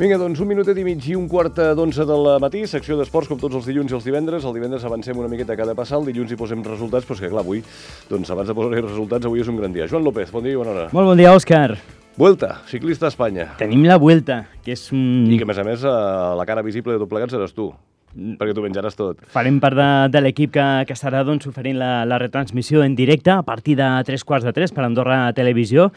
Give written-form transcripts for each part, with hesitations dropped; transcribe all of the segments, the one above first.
Vinga, doncs un minutet i mig i un quart d'11 del matí, secció d'esports com tots els dilluns i els divendres. El divendres avancem una miqueta cada passar, el dilluns hi posem resultats, però és que clar, avui, doncs abans de posar resultats, avui és un gran dia. Joan López, bon dia i bona hora. Molt bon dia, Òscar. Vuelta, ciclista a Espanya. Tenim la Vuelta, que és un... I que, a més, la cara visible de tot plegat seràs tu, perquè tu menjaràs tot. Farem part de l'equip que estarà doncs, oferint la retransmissió en directe a partir de 3:15 per Andorra Televisió.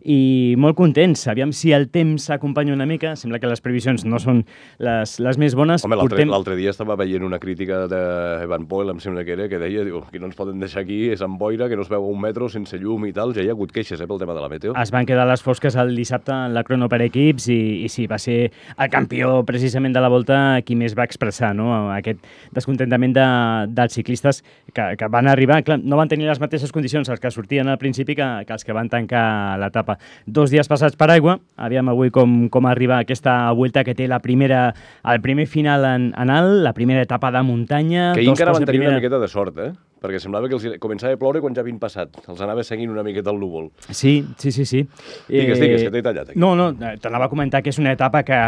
I molt contents. Aviam si el temps s'acompanya una mica. Sembla que les previsions no són les més bones. Home, l'altre dia estava veient una crítica d'Evan Poel, em sembla que era, que deia que no ens poden deixar aquí, és amb boira, que no es veu un metro sense llum i tal. Ja hi ha hagut queixes pel tema de la meteo. Es van quedar les fosques el dissabte en la crono per equips i sí, va ser el campió precisament de la Volta qui més va expressar, no? Aquest descontentament dels ciclistes que van arribar. Clar, no van tenir les mateixes condicions els que sortien al principi que els que van tancar l'etapa. 2 dies passats per aigua. Aviam avui com arriba aquesta Vuelta que té el primer final en alt, la primera etapa de muntanya. Que ahir encara van tenir una miqueta de sort, perquè semblava que els començava a ploure quan ja havien passat. Els anava seguint una miqueta el núvol. Sí. Digues, que t'he tallat aquí. No, t'anava a comentar que és una etapa que,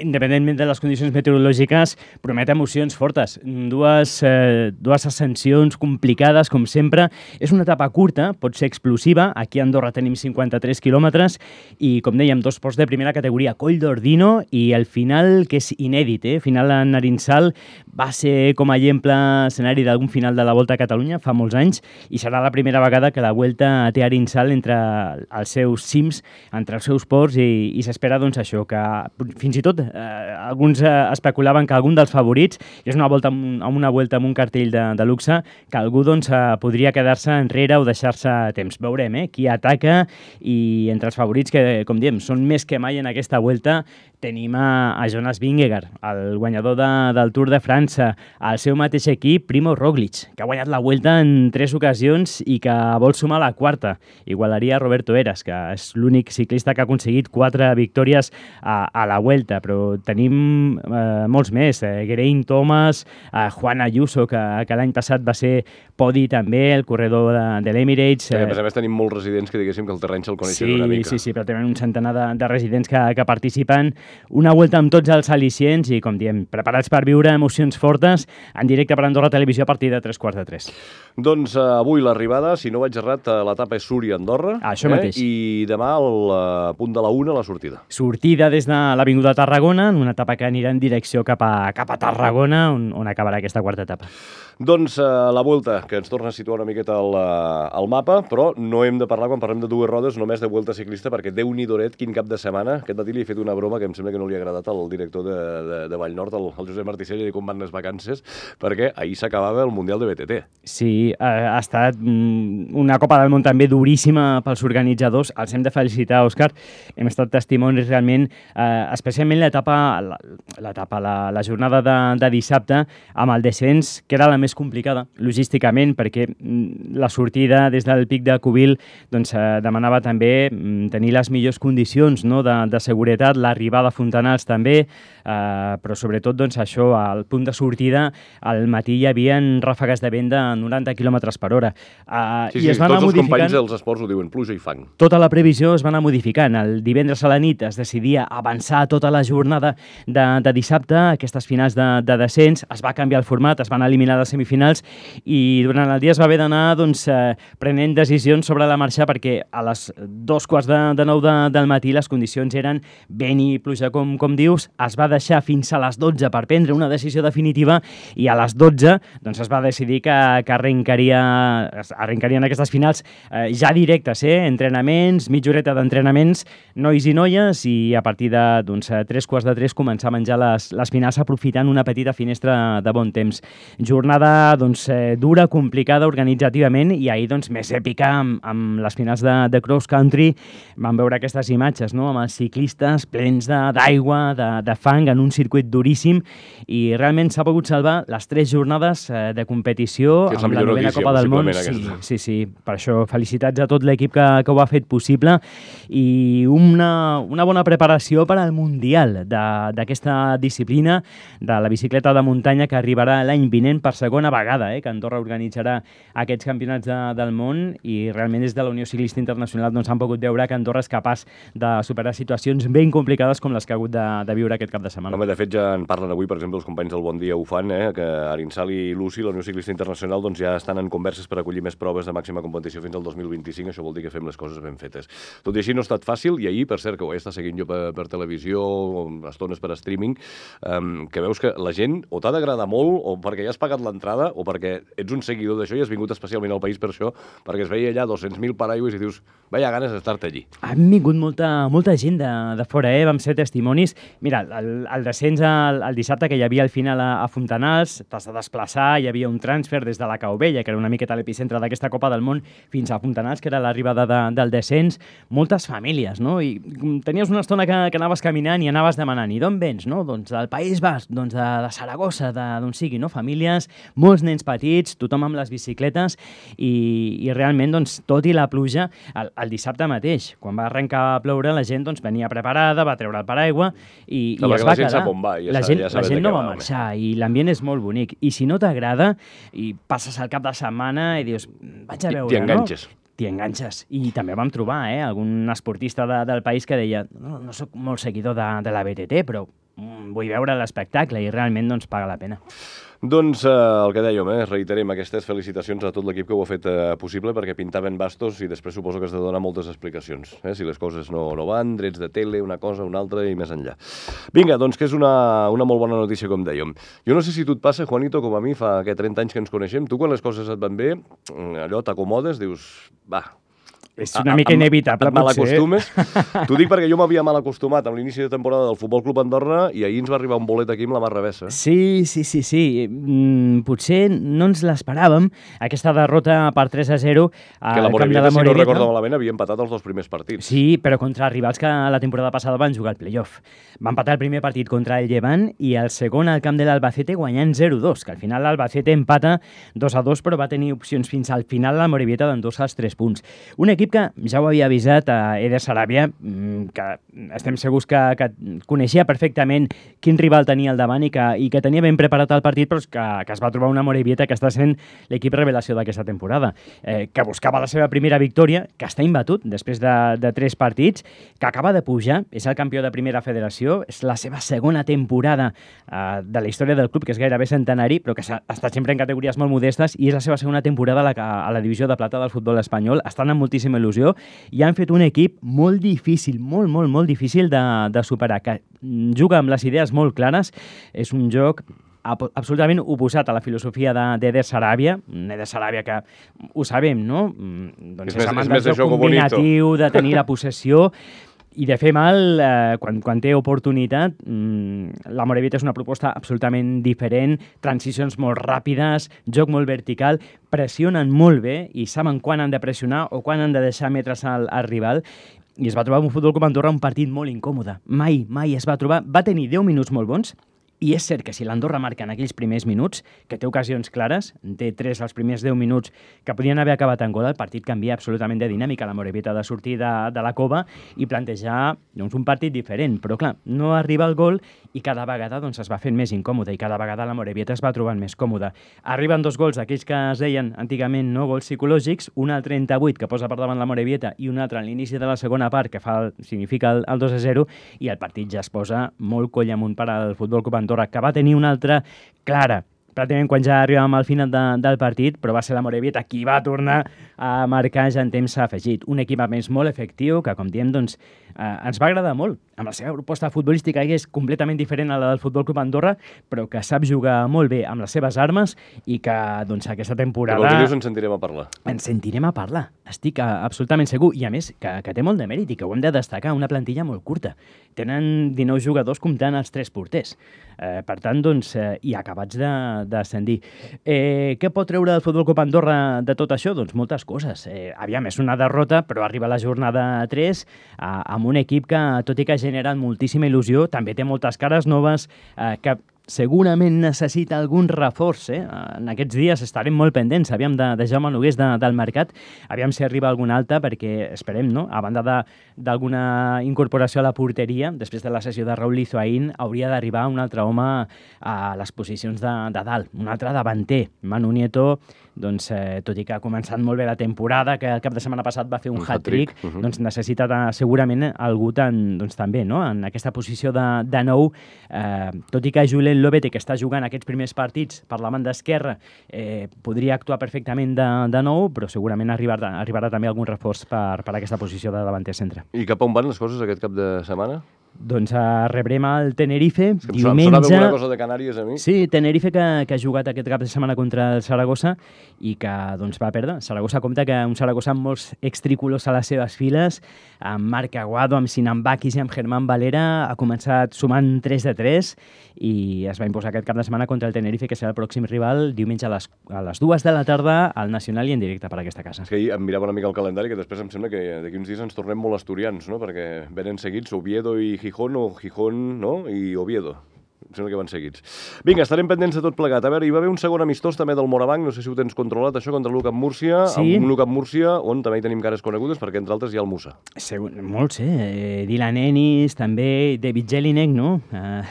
independentment de les condicions meteorològiques, promet emocions fortes. Dues ascensions complicades, com sempre. És una etapa curta, pot ser explosiva. Aquí a Andorra tenim 53 quilòmetres i, com dèiem, 2 ports de primera categoria, Coll d'Ordino, i el final, que és inèdit, final en Arinsal, va ser com a escenari d'algun final de la Volta a Catalunya fa molts anys i serà la primera vegada que la Vuelta té Arinsal entre els seus cims, entre els seus ports i s'espera doncs això, que fins i tot alguns especulaven que algun dels favorits, és una Vuelta amb un cartell de luxe, que algú doncs podria quedar-se enrere o deixar-se temps. Veurem qui ataca i entre els favorits que, com diem, són més que mai en aquesta Vuelta, tenim a Jonas Vingegaard, el guanyador del Tour de França, el seu mateix equip, Primo Roglic, que ha guanyat la Vuelta en 3 ocasions i que vol sumar la 4ª. Igualaria Roberto Heras, que és l'únic ciclista que ha aconseguit 4 victòries a la Vuelta, però tenim molts més. Geraint Thomas, Juan Ayuso, que l'any passat va ser podi també, el corredor de l'Emirates. A més tenim molts residents que diguéssim que el terreny se'l coneixen una mica. Sí, però tenen un centenar de residents que participen. Una Vuelta amb tots els al·licients i, com diem, preparats per viure emocions fortes en directe per Andorra Televisió a partir de 3:15. Doncs avui l'arribada, si no vaig errat, l'etapa és Súria-Andorra. Això mateix. I demà al punt de la 1 la sortida. Sortida des de l'Avinguda Tarragona, en una etapa que anirà en direcció cap a Tarragona, on acabarà aquesta 4ª etapa. Doncs la Vuelta, que ens torna a situar una miqueta al mapa, però no hem de parlar, quan parlem de dues rodes, només de Vuelta ciclista, perquè Déu-n'hi-doret, quin cap de setmana. Aquest matí li he fet una broma que em sembla que no li ha agradat al director de Vallnord, el Josep Marticell, i com van les vacances, perquè ahir s'acabava el Mundial de BTT. Sí, ha estat una Copa del Món també duríssima pels organitzadors. Els hem de felicitar, Òscar. Hem estat testimonis realment, especialment la jornada de dissabte, amb el descens, que era la més complicada, logísticament, perquè la sortida des del pic de Cubil doncs, demanava també tenir les millors condicions, no?, de seguretat, l'arribada a Fontanals també, però sobretot doncs, això, al punt de sortida, al matí hi havia ràfegues de vent de 90 km per hora. Sí, tots els companys dels esports ho diuen, pluja i fang. Tota la previsió es va anar modificant. El divendres a la nit es decidia avançar tota la jornada de dissabte, aquestes finals de descens, es va canviar el format, es van eliminar les semifinals i durant el dia es va haver d'anar doncs, prenent decisions sobre la marxa perquè a les 8:45 del matí les condicions eren vent i pluja, com dius. Es va deixar fins a les 12 per prendre una decisió definitiva i a les 12 doncs, es va decidir que arrencarien aquestes finals ja directes, entrenaments, mitja horeta d'entrenaments, nois i noies, i a partir de 3:15 començar a menjar les finals aprofitant una petita finestra de bon temps. Jornada dura, complicada organitzativament i ahir més èpica amb les finals de cross country. Vam veure aquestes imatges, amb els ciclistes plens d'aigua, de fang en un circuit duríssim i realment almenys s'ha pogut salvar les 3 jornades de competició que és la amb la millor novena notícia, Copa del Món. possiblement, Sí. Per això, felicitats a tot l'equip que ho ha fet possible i una bona preparació per al Mundial d'aquesta disciplina de la bicicleta de muntanya que arribarà l'any vinent per segona vegada, que Andorra organitzarà aquests campionats del món i realment des de la Unió Ciclista Internacional doncs, han pogut veure que Andorra és capaç de superar situacions ben complicades com les que ha hagut de viure aquest cap de setmana. Home, de fet, ja en parlen avui, per exemple, els companys del Bon Dia ho fan, que Arinsal i Lucy, la Unió Ciclista Internacional, doncs ja estan en converses per acollir més proves de màxima competició fins al 2025. Això vol dir que fem les coses ben fetes. Tot i així no ha estat fàcil, i ahir, per cert, que ho he estat seguint jo per televisió, o estones per streaming, que veus que la gent o t'ha d'agradar molt, o perquè ja has pagat l'entrada, o perquè ets un seguidor d'això i has vingut especialment al país per això, perquè es veia allà 200.000 paraigües i dius, vaya ganes d'estar-te allí. Han vingut molta gent de fora, vam ser testimonis. Mira, el descens el dissabte, que hi havia al final a Fontanals, t'has de desplaçar, hi havia un transfer des de la Cau Vella, que era una miqueta l'epicentre d'aquesta Copa del Món, fins a Fontanals, que era l'arribada del descens. Moltes famílies, no? I tenies una estona que anaves caminant i anaves demanant, i d'on vens, no? Doncs del País Basc, doncs de Saragossa, d'on sigui, no? Famílies, molts nens petits, tothom amb les bicicletes, i realment, doncs, tot i la pluja, el dissabte mateix, quan va arrencar a ploure, la gent doncs, venia preparada, va treure el paraigua i es va quedar. La gent no va marxar i l'ambient és molt bonic. I si no t'agrada i passes el cap de setmana i dius, vaig a veure, t'hi enganxes. T'hi enganxes. I també vam trobar algun esportista del país que deia no soc molt seguidor de la BTT, però vull veure l'espectacle i realment doncs, paga la pena. Doncs el que dèiem, reiterem aquestes felicitacions a tot l'equip que ho ha fet possible, perquè pintaven bastos i després suposo que has de donar moltes explicacions. Si les coses no van, drets de tele, una cosa, una altra i més enllà. Vinga, doncs que és una molt bona notícia, com dèiem. Jo no sé si tu et passa, Juanito, com a mi, fa 30 anys que ens coneixem, tu quan les coses et van bé, allò t'acomodes, dius, va... És una mica inevitable, potser. Et malacostumes? T'ho dic perquè jo m'havia mal acostumat amb l'inici de temporada del Futbol Club Andorra i ahir ens va arribar un bolet aquí amb la mà revessa. Sí. Potser no ens l'esperàvem, aquesta derrota per 3-0 al camp de la Morevieta. Si no recordo malament, havia empatat els 2 primers partits. Sí, però contra rivals que la temporada passada van jugar al play-off. Va empatar el primer partit contra el Llevant i el segon al camp de l'Albacete guanyant 0-2, que al final l'Albacete empata 2-2, però va tenir opcions fins al final la Morevieta d'endur-se els 3 punts. Un equip que ja ho havia avisat a Eder Saràbia, que estem segurs que coneixia perfectament quin rival tenia al davant i que tenia ben preparat el partit, però que es va trobar una Morevieta que està sent l'equip revelació d'aquesta temporada, que buscava la seva primera victòria, que està imbatut després de 3 partits, que acaba de pujar, és el campió de primera federació, és la seva segona temporada de la història del club, que és gairebé centenari, però que ha estat sempre en categories molt modestes, i és la seva segona temporada a la divisió de plata del futbol espanyol. Estan amb moltíssima il·lusió i han fet un equip molt difícil, molt difícil de superar, que juga amb les idees molt clares. És un joc absolutament oposat a la filosofia d'Eder Saràbia, Eder Saràbia que ho sabem, no? Doncs és amant del joc combinatiu, de tenir la possessió i de fer mal quan té oportunitat. La Morevieta és una proposta absolutament diferent, transicions molt ràpides, joc molt vertical, pressionen molt bé i saben quan han de pressionar o quan han de deixar metres al rival, i es va trobar un Futbol Club Andorra un partit molt incòmode. Mai es va trobar. Va tenir 10 minuts molt bons, i és cert que si l'Andorra marca en aquells primers minuts, que té ocasions clares, té 3 als primers 10 minuts que podien haver acabat en gol, el partit canvia absolutament de dinàmica. La Morevieta ha de sortir de la cova i plantejar un partit diferent. Però clar, no arriba el gol i cada vegada es va fent més incòmode i cada vegada la Morevieta es va trobant més còmoda. Arriben 2 gols, aquells que es deien antigament gols psicològics, un al 38 que posa per davant la Morevieta i un altre a l'inici de la segona part que significa el 2-0, i el partit ja es posa molt coll amunt per al Futbol Club Andorra, que va tenir una altra clara pràcticament quan ja arribàvem al final del partit, però va ser la Morevieta qui va tornar a marcar ja en temps afegit. Un equip a més molt efectiu que, com diem, ens va agradar molt, amb la seva proposta futbolística, que és completament diferent a la del Futbol Club Andorra, però que sap jugar molt bé amb les seves armes i que aquesta temporada... Que dius, ens sentirem a parlar. Ens sentirem a parlar, estic absolutament segur, i a més que té molt de mèrit i que ho hem de destacar, una plantilla molt curta. Tenen 19 jugadors comptant els 3 porters. Per tant, i acabats d'ascendir. Què pot treure el Futbol Club Andorra de tot això? Doncs moltes coses. Aviam, és una derrota, però arriba la jornada 3 amb un equip que, tot i que ha generat moltíssima il·lusió, també té moltes cares noves que segurament necessita algun reforç. En aquests dies estarem molt pendents, aviam, de Jaume Nogués del mercat, aviam si arriba algun altre, perquè esperem, no? A banda d'alguna incorporació a la porteria, després de la sessió de Raúl Lizoaín, hauria d'arribar un altre home a les posicions de dalt, un altre davanter. Manu Nieto, doncs, tot i que ha començat molt bé la temporada, que el cap de setmana passat va fer un hat-trick, doncs necessita segurament algú també, no? En aquesta posició de nou, tot i que Julen Lopete, que està jugant aquests primers partits per la banda esquerra, podria actuar perfectament de nou, però segurament arribarà també algun reforç per aquesta posició de davanter centre. I cap on van les coses aquest cap de setmana? Doncs rebrem el Tenerife diumenge. Em sonava alguna cosa de Canàries a mi. Sí, Tenerife que ha jugat aquest cap de setmana contra el Saragossa i que doncs, va perdre. Saragossa compta que un Saragossa amb molts extricolors a les seves files, amb Marc Aguado, amb Sinan Bakis i amb Germán Valera, ha començat sumant 3-3 i es va imposar aquest cap de setmana contra el Tenerife, que serà el pròxim rival diumenge a les 2 de la tarda al Nacional i en directe per aquesta casa. És que ahir em mirava una mica el calendari, que després em sembla que d'aquí uns dies ens tornem molt asturians, no? Perquè venen seguits Oviedo i Gijón, o Gijón, no? I Oviedo. Em sembla que van seguits. Vinga, estarem pendents de tot plegat. A veure, hi va haver un segon amistós també del Morabanc, no sé si ho tens controlat, això, contra l'UCAM Múrcia, sí. Un UCAM Múrcia on també hi tenim cares conegudes, perquè entre altres hi ha el Musa. Molts, Dylan Ennis, també David Jelinek, no?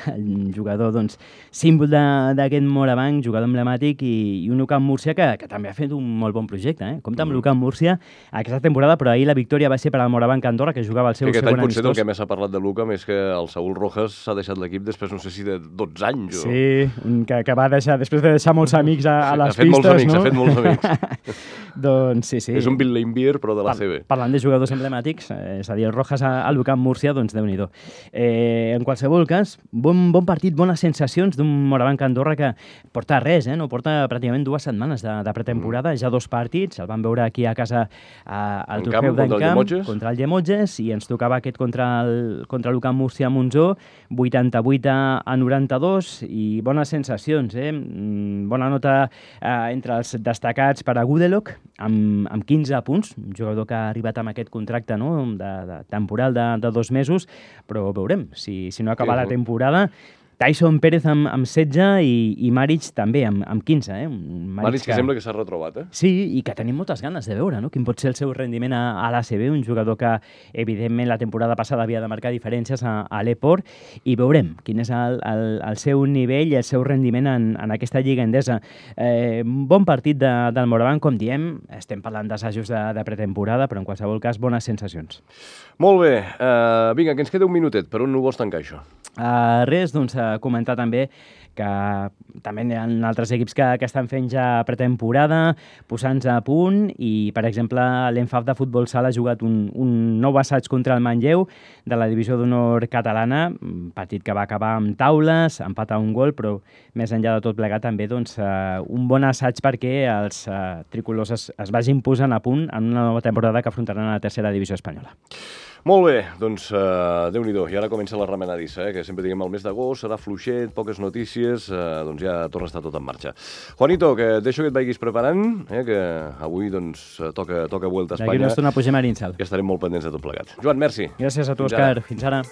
El jugador, doncs, símbol d'aquest Morabanc, jugador emblemàtic, i un UCAM Múrcia que també ha fet un molt bon projecte, Compte amb l'UCAM Múrcia aquesta temporada, però ahir la victòria va ser per al Morabanc Andorra, que jugava el seu segon amistós. Potser del que més s'ha parlat de l'UCAM és que el Saúl Rojas s'ha deixat l'equip després, no sé si de 12 anys. O... Sí, que va deixar, després de deixar molts amics a les pistes, no? Ha fet molts amics. Doncs sí. És un Bill Laimbeer, però de la CB. Parlant de jugadors emblemàtics, és a dir, el Rojas a l'UCAM Múrcia, doncs Déu-n'hi-do. En qualsevol cas, bon partit, bones sensacions d'un Morabanc Andorra que porta res, no? Porta pràcticament 2 setmanes de pretemporada, ja 2 partits, el vam veure aquí a casa al trofeu d'Encamp contra el Llemotges, i ens tocava aquest contra l'UCAM Múrcia a Monzó, 88 a 92, i bones sensacions, bona nota entre els destacats per a Gudelok, amb 15 punts, un jugador que ha arribat amb aquest contracte, no? de temporal de 2 mesos, però veurem si no acaba la temporada. Tyson Pérez amb 16 i Maric també amb 15. Maric que sembla que s'ha retrobat, Sí, i que tenim moltes ganes de veure, no? Quin pot ser el seu rendiment a l'ACB, un jugador que, evidentment, la temporada passada havia de marcar diferències a l'Eport, i veurem quin és el seu nivell i el seu rendiment en aquesta Lliga Endesa. Bon partit del Morabanc, com diem, estem parlant d'assajos de pretemporada, però en qualsevol cas, bones sensacions. Molt bé. Vinga, que ens queda un minutet. Per on ho vols tancar, això? Res, doncs, comentar també que també hi ha altres equips que estan fent ja pretemporada, posant-se a punt, i, per exemple, l'Enfaf de futbol sala ha jugat un nou assaig contra el Manlleu de la divisió d'honor catalana, un partit que va acabar amb taules, empat a un gol, però més enllà de tot plegat també un bon assaig perquè els tricolors es vagin posant a punt en una nova temporada que afrontaran a la tercera divisió espanyola. Molt bé, doncs Déu-n'hi-do, i ara comença la remenadissa, que sempre diguem el mes d'agost, serà fluixet, poques notícies, doncs ja torna a estar tot en marxa. Juanito, que et deixo que et vagis preparant, que avui doncs toca Vuelta a Espanya. D'aquí una estona pugem a Arinsal. I estarem molt pendents de tot plegat. Joan, merci. Gràcies a tu, Òscar. Fins ara.